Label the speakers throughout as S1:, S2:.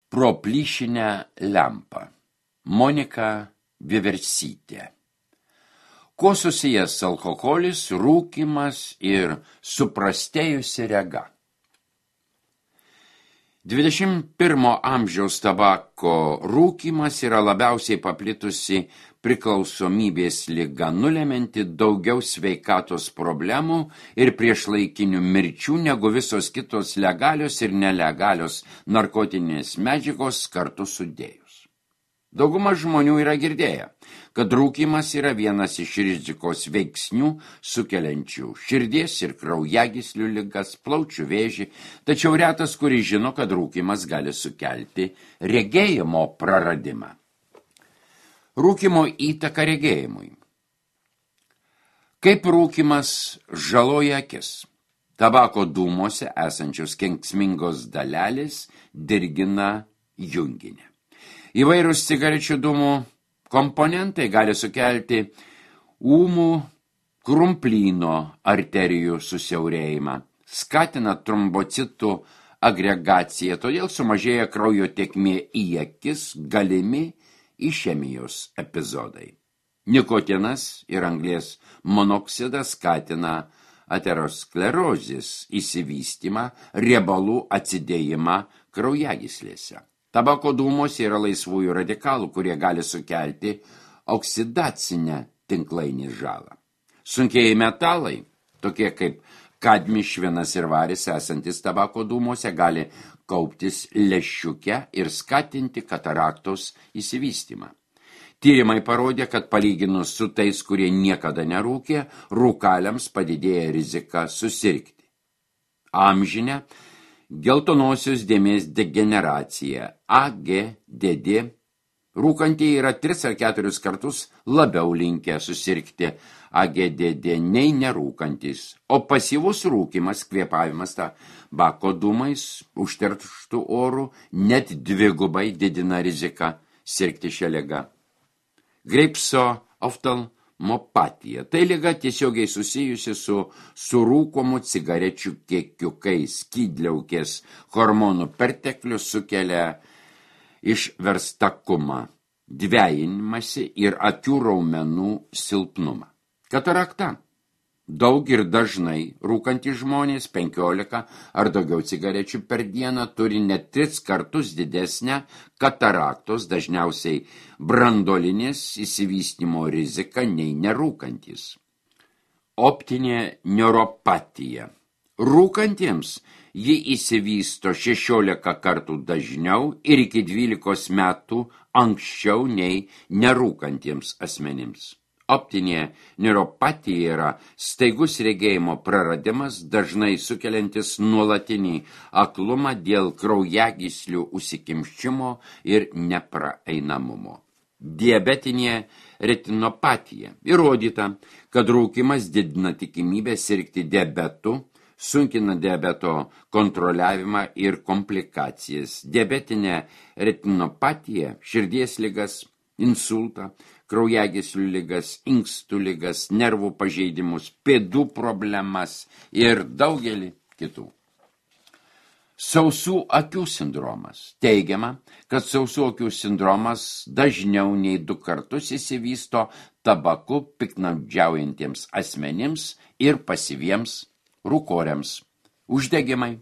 S1: Pro plyšinę lempą. Monika Vieversytė. Kuo susijęs alkoholis, rūkymas ir suprastėjusi rega? 21 amžiaus tabako rūkymas yra labiausiai paplitusi priklausomybės liga, nulemianti daugiau sveikatos problemų ir priešlaikinių mirčių negu visos kitos legalios ir nelegalios narkotinės medžiagos kartu sudėjus. Dauguma žmonių yra girdėję, kad rūkymas yra vienas iš rizikos veiksnių sukeliančių širdies ir kraujagyslių ligas, plaučių vėžį, tačiau retas, kuris žino, kad rūkymas gali sukelti regėjimo praradimą. Rūkymo įtaka regėjimui. Kaip rūkymas žaloja akis? Tabako dūmuose esančios kenksmingos dalelės dirgina junginį. Įvairūs cigarečių dūmų komponentai gali sukelti ūmų krumplyno arterijų susiaurėjimą, skatina trombocitų agregaciją, todėl sumažėja kraujo tėkmė į akis, galimi išemijos epizodai. Nikotinas ir anglies monoksidas skatina aterosklerozės išsivystymą, riebalų atsidėjimą kraujagyslėse. Tabako dūmuose yra laisvųjų radikalų, kurie gali sukelti oksidacinę tinklainį žalą. Sunkieji metalai, tokie kaip kadmis, švinas ir varis, esantis tabako dūmuose, gali kauptis lęšiuke ir skatinti kataraktos išsivystymą. Tyrimai parodė, kad palyginus su tais, kurie niekada nerūkė, rūkaliams padidėja rizika susirgti. Amžinė geltonosios dėmės degeneracija, AGDD, rūkantieji yra 3 ar 4 kartus labiau linkę susirgti AGDD nei nerūkantis, o pasyvus rūkymas, kvėpavimas tabako dūmais, užterštų orų, net 2 didina riziką sirgti šią ligą. Greipso oftalmopatija. Tai liga tiesiogiai susijusi su rūkomų cigarečių kiekiu, kai skydliaukės hormonų perteklius sukelia išverstakumą, dvejinimąsi ir akių raumenų silpnumą. Katarakta. Daug ir dažnai rūkantys žmonės 15 ar daugiau cigarečių per dieną turi net 3 kartus didesnę kataraktos, dažniausiai branduolinės išsivystymo riziką nei nerūkantys. Optinė neuropatija. Rūkantiems ji išsivysto 16 kartų dažniau ir iki 12 metų anksčiau nei nerūkantiems asmenims. Optinė neuropatija yra staigus regėjimo praradimas, dažnai sukeliantis nuolatinį aklumą dėl kraujagyslių užsikimšimo ir nepraeinamumo. Diabetinė retinopatija. Įrodyta, kad rūkymas didina tikimybę sirgti diabetu, sunkina diabeto kontroliavimą ir komplikacijas. Diabetinė retinopatija, širdies ligas, insultą, kraujagyslių ligas, inkstų ligas, nervų pažeidimus, pėdų problemas ir daugelį kitų. Sausų akių sindromas. Teigiama, kad sausų akių sindromas dažniau nei 2 kartus išsivysto tabaku piktnaudžiaujantiems asmenims ir pasyviems rūkoriams. Uždegimai.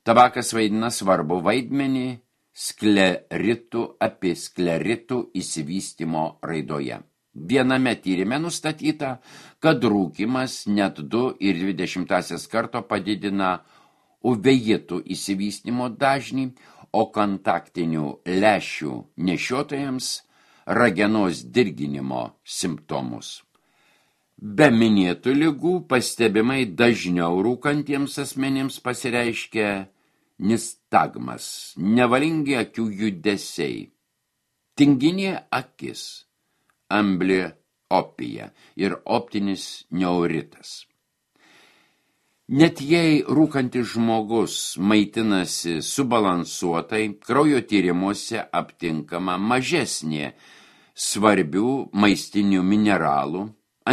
S1: Tabakas vaidina svarbu vaidmenį skleritų apie skleritų išsivystymo raidoje. Viename tyrime nustatyta, kad rūkymas net 2,2 karto padidina uveitų išsivystymo dažnį, o kontaktinių lęšių nešiotojams ragenos dirginimo simptomus. Be minėtų ligų pastebimai dažniau rūkantiems asmenims pasireiškia nistagmas, nevalingi akių judesiai, tinginė akis, ambliopija ir optinis neuritas. Net jei rūkantis žmogus maitinasi subalansuotai, kraujo tyrimuose aptinkama mažesnė svarbių maistinių mineralų,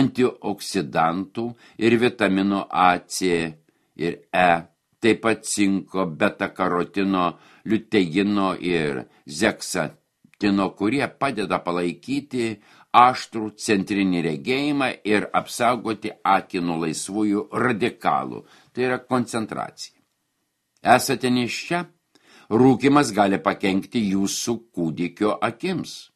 S1: antioksidantų ir vitaminų A, C ir E, taip pat cinko, beta-karotino, liuteino ir zeksatino, kurie padeda palaikyti aštrų centrinį regėjimą ir apsaugoti akį nuo laisvųjų radikalų. Tai yra koncentracija. Esate nėščia? Rūkymas gali pakenkti jūsų kūdikio akims.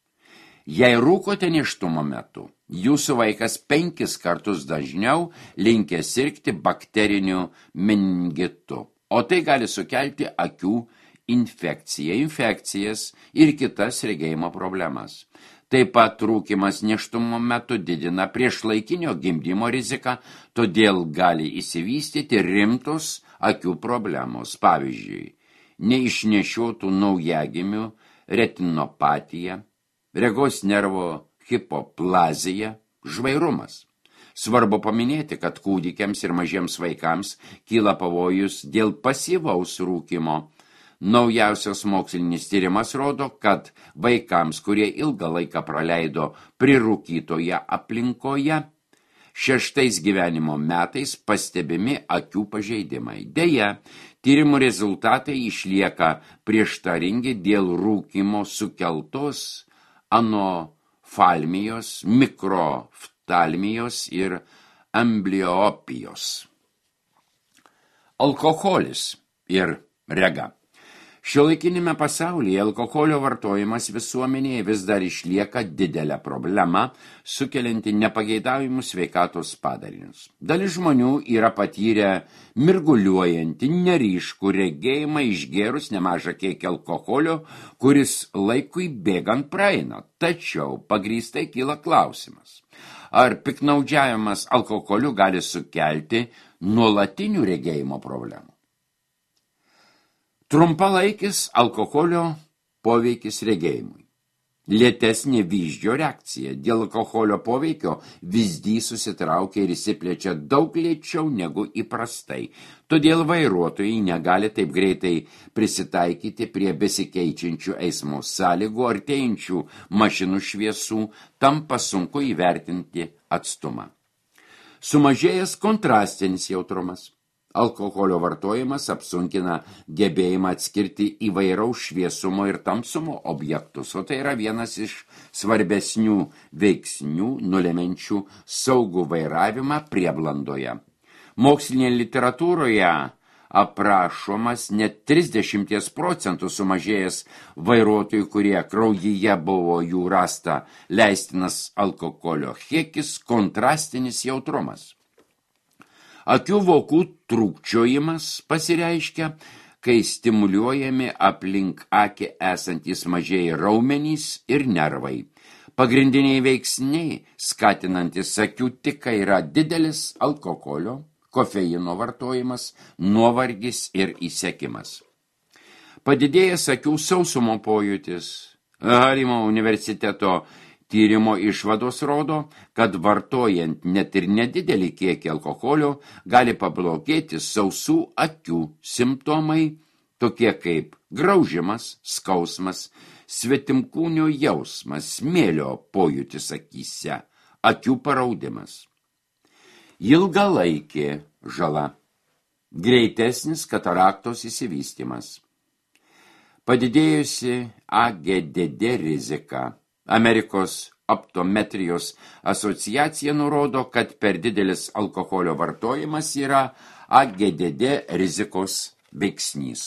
S1: Jei rūkote nėštumo metu, jūsų vaikas 5 kartus dažniau linkę sirgti bakteriniu meningitu, o tai gali sukelti akių infekcijas ir kitas regėjimo problemas. Taip pat rūkymas nėštumo metu didina priešlaikinio gimdymo riziką, todėl gali išsivystyti rimtos akių problemos. Pavyzdžiui, neišnešiotų naujagimių retinopatija, regos nervo hipoplazija, žvairumas. Svarbu paminėti, kad kūdikiams ir mažiems vaikams kyla pavojus dėl pasyvaus rūkymo. Naujausias mokslinis tyrimas rodo, kad vaikams, kurie ilgą laiką praleido prirūkytoje aplinkoje, 6 gyvenimo metais pastebimi akių pažeidimai. Deja, tyrimų rezultatai išlieka prieštaringi dėl rūkymo sukeltos anoftalmijos, mikroftalmijos ir ambliopijos. Alkoholis ir rega. Šiuolaikinėme pasaulyje alkoholio vartojimas visuomenėje vis dar išlieka didelė problema, sukelianti nepageidaujamus sveikatos padarinius. Dalis žmonių yra patyrę mirguliuojantį, neryškų regėjimą išgėrus nemažą kiekį alkoholio, kuris laikui bėgant praeina. Tačiau pagrįstai kyla klausimas, ar piktnaudžiavimas alkoholiu gali sukelti nuolatinių regėjimo problemų. Trumpalaikis alkoholio poveikis regėjimui. Lėtesnė vyzdžio reakcija. Dėl alkoholio poveikio vyzdys susitraukia ir įsiplečia daug lėčiau negu įprastai. Todėl vairuotojai negali taip greitai prisitaikyti prie besikeičiančių eismo sąlygų, artėjančių mašinų šviesų, tampa sunku įvertinti atstumą. Sumažėjęs kontrastinis jautrumas. Alkoholio vartojimas apsunkina gebėjimą atskirti įvairaus šviesumo ir tamsumo objektus, o tai yra vienas iš svarbesnių veiksnių nulemenčių saugų vairavimą prieblandoje. Mokslinėje literatūroje aprašomas net 30% sumažėjęs vairuotojų, kurie kraujyje buvo jų rasta leistinas alkoholio kiekis, kontrastinis jautrumas. Akių vokų trūkčiojimas pasireiškia, kai stimuliuojami aplink akį esantys mažieji raumenys ir nervai. Pagrindiniai veiksniai, skatinantis akių tiką, yra didelis alkoholio, kofeino vartojimas, nuovargis ir įsekimas. Padidėjęs akių sausumo pojūtis. Harimo universiteto tyrimo išvados rodo, kad vartojant net ir nedidelį kiekį alkoholio gali pablogėti sausų akių simptomai, tokie kaip graužimas, skausmas, svetimkūnio jausmas, smėlio pojūtis akyse, akių paraudimas. Ilgalaikė žala. Greitesnis kataraktos įsivystymas. Padidėjusi AGDD rizika. Amerikos optometrijos asociacija nurodo, kad per didelis alkoholio vartojimas yra AGDD rizikos veiksnys.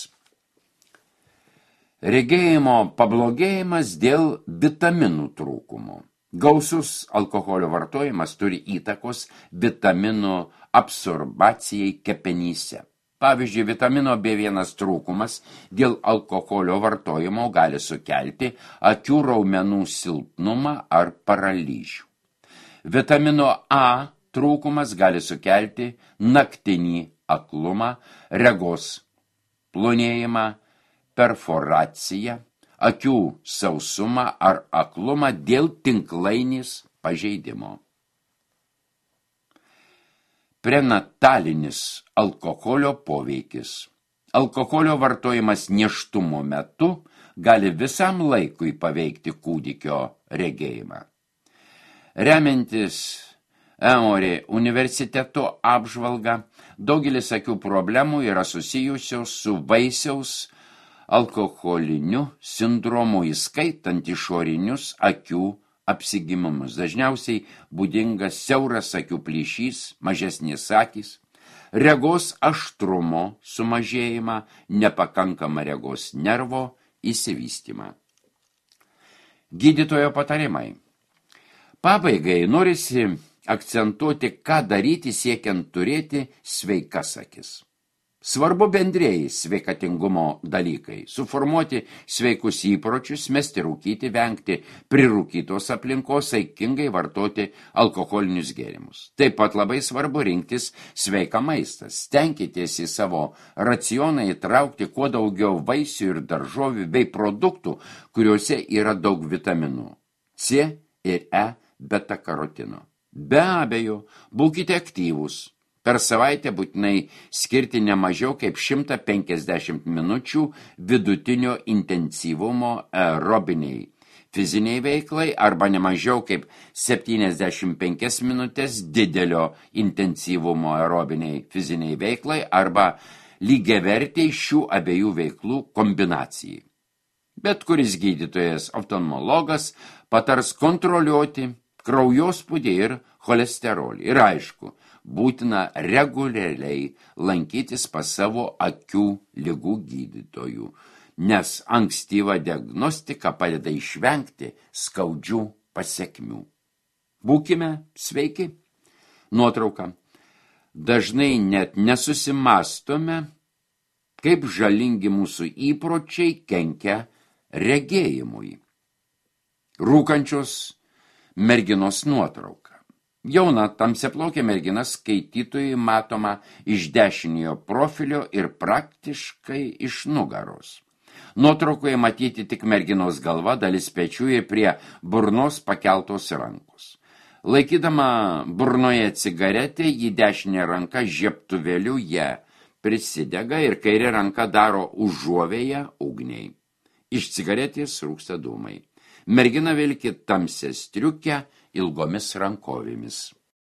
S1: Regėjimo pablogėjimas dėl vitaminų trūkumo. Gausus alkoholio vartojimas turi įtakos vitaminų absorbacijai kepenyse. Pavyzdžiui, vitamino B1 trūkumas dėl alkoholio vartojimo gali sukelti akių raumenų silpnumą ar paralyžių. Vitamino A trūkumas gali sukelti naktinį aklumą, regos plonėjimą, perforaciją, akių sausumą ar aklumą dėl tinklainės pažeidimo. Prenatalinis alkoholio poveikis. Alkoholio vartojimas nėštumo metu gali visam laikui paveikti kūdikio regėjimą. Remiantis Emory universiteto apžvalga, daugelis akių problemų yra susijusios su vaisiaus alkoholiniu sindromu, įskaitant išorinius akių apsigimumus. Dažniausiai būdingas siauras akių plyšys, mažesnės akys, regos aštrumo sumažėjimą, nepakankamą regos nervo įsivystymą. Gydytojo patarimai. Pabaigai norisi akcentuoti, ką daryti siekiant turėti sveikas akis. Svarbu bendrieji sveikatingumo dalykai – suformuoti sveikus įpročius, mesti rūkyti, vengti prirūkytos aplinkos, saikingai vartoti alkoholinius gėrimus. Taip pat labai svarbu rinktis sveiką maistą. Stenkitės į savo racioną įtraukti kuo daugiau vaisių ir daržovių bei produktų, kuriuose yra daug vitaminų C ir E beta karotino. Be abejo, būkite aktyvūs. Per savaitę būtinai skirti ne mažiau kaip 150 minučių vidutinio intensyvumo aerobiniai fiziniai veiklai arba ne mažiau kaip 75 minutės didelio intensyvumo aerobiniai fiziniai veiklai arba lygiavertiai šių abiejų veiklų kombinacijai. Bet kuris gydytojas oftalmologas patars kontroliuoti kraujospūdį ir cholesterolį. Ir aišku, būtina reguliariai lankytis pas savo akių ligų gydytojų, nes ankstyva diagnostika padeda išvengti skaudžių pasekmių. Būkime sveiki. Nuotrauka. Dažnai net nesusimastome, kaip žalingi mūsų įpročiai kenkia regėjimui. Rūkančios merginos nuotrauka. Jauna tamsiaplaukė mergina skaitytojui matoma iš dešiniojo profilio ir praktiškai iš nugaros. Nuotraukoje matyti tik merginos galva, dalis pečių ir prie burnos pakeltos rankos. Laikydama burnoje cigaretę, ji dešinė ranka žiebtuvėliu ją prisidega ir kairė ranka daro užuovėją ugniai. Iš cigaretės rūksta dūmai. Mergina vilki tamsią striukę ilgomis rankovėmis.